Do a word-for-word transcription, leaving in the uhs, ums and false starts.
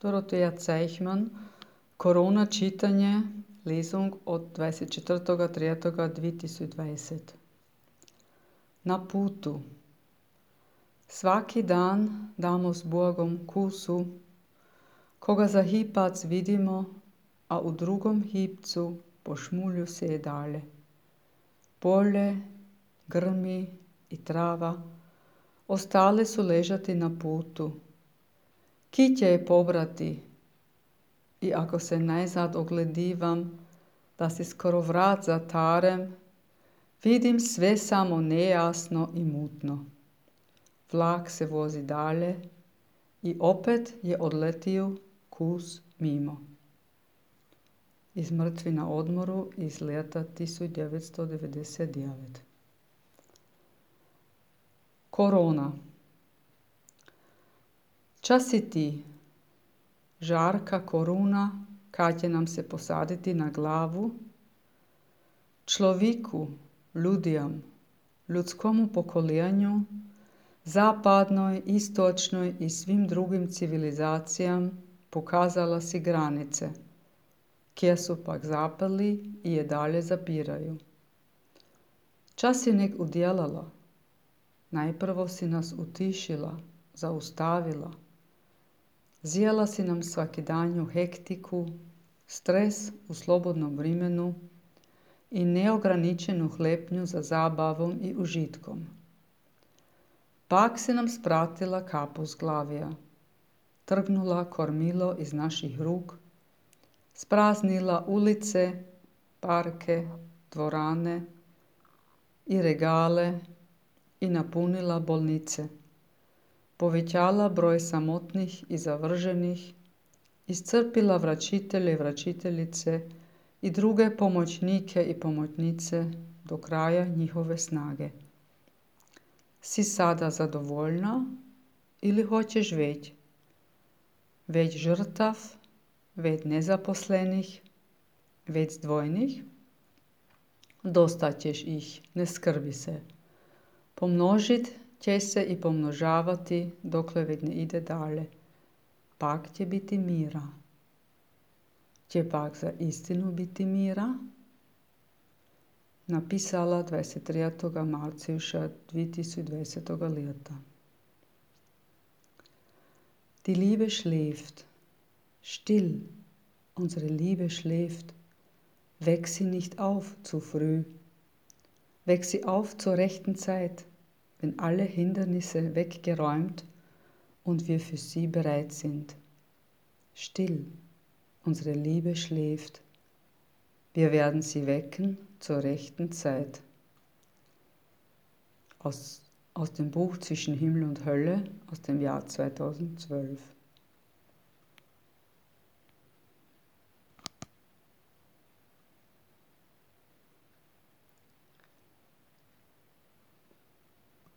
Doroteja Cejhman, Korona čitanje, lesung od dvadeset četrtega tretjega dve tisoč dvajset. Na putu. Svaki dan damo s Bogom kusu, koga za hipac vidimo, a u drugom hipcu po šmulju se dale. Polje, grmi i trava ostale su ležati na putu. Kitje je pobrati i ako se najzad ogledivam, da si skoro vrat zatarem, vidim sve samo nejasno i mutno. Vlak se vozi dalje i opet je odletio kus mimo. Iz Mrtvi na odmoru iz leta tisuć devetsto devedeset devet. Korona. Čas si ti, žarka koruna, kad će nam se posaditi na glavu, človeku, ljudjam, ljudskomu pokoljenju, zapadnoj, istočnoj i svim drugim civilizacijam pokazala si granice, kje su pak zapeli i je dalje zapiraju. Čas si nek udjelala, najprvo si nas utišila, zaustavila, zjela si nam svakidanju hektiku, stres u slobodnom vrimenu i neograničenu hlepnju za zabavom i užitkom. Pak si nam spratila kapu s glavija, trgnula kormilo iz naših ruk, spraznila ulice, parke, dvorane i regale i napunila bolnice, povećala broj samotnih i zavrženih, iscrpila vračitelje i vračiteljice i druge pomoćnike i pomoćnice do kraja njihove snage. Si sada zadovoljna ili hoćeš već? Već žrtav, već nezaposlenih, već zdvojnih? Dosta ćeš ih, ne skrbi se. Pomnožit će se i pomnožavati dokle već ne ide dalje. Pak će biti mira. Će pak za istinu biti mira? Napisala dvadeset tretjega marca dve tisoč dvajsetega leta. Die Liebe schläft. Still, unsere Liebe schläft. Weck sie nicht auf zu früh. Weck sie auf zur rechten Zeit, wenn alle Hindernisse weggeräumt und wir für sie bereit sind. Still, unsere Liebe schläft. Wir werden sie wecken zur rechten Zeit. Aus, aus dem Buch Zwischen Himmel und Hölle aus dem Jahr zweitausendzwölf.